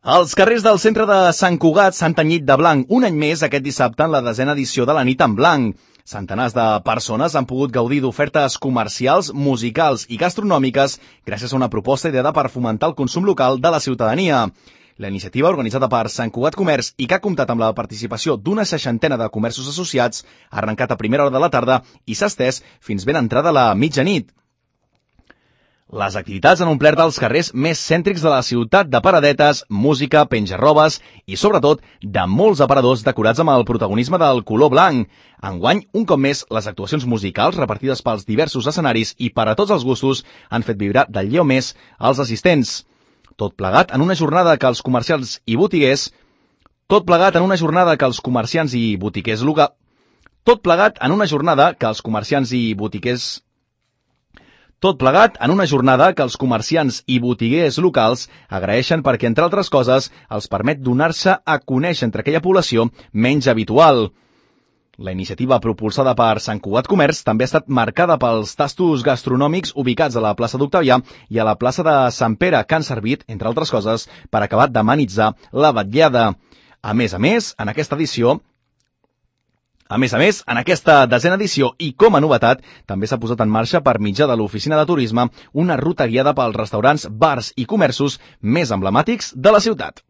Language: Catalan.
Els carrers del centre de Sant Cugat s'han tenyit de blanc un any més aquest dissabte en la 10a edició de la Nit en Blanc. Centenars de persones han pogut gaudir d'ofertes comercials, musicals i gastronòmiques gràcies a una proposta ideada per fomentar el consum local de la ciutadania. La iniciativa, organitzada per Sant Cugat Comerç i que ha comptat amb la participació d'una 60ena de comerços associats, ha arrencat a primera hora de la tarda i s'ha estès fins ben entrada la mitjanit. Les activitats han omplert els carrers més cèntrics de la ciutat de paradetes, música, penjarrobes i, sobretot, de molts aparadors decorats amb el protagonisme del color blanc. Enguany, un cop més, les actuacions musicals repartides pels diversos escenaris i per a tots els gustos han fet vibrar del lleu més als assistents. Tot plegat en una jornada que els comerciants i botiguers locals agraeixen perquè, entre altres coses, els permet donar-se a conèixer entre aquella població menys habitual. La iniciativa propulsada per Sant Cugat Comerç també ha estat marcada pels tastos gastronòmics ubicats a la plaça d'Octavià i a la plaça de Sant Pere, que han servit, entre altres coses, per acabar d'amenitzar la vetllada. A més, en aquesta 10a edició i com a novetat, també s'ha posat en marxa per mitjà de l'Oficina de Turisme una ruta guiada pels restaurants, bars i comerços més emblemàtics de la ciutat.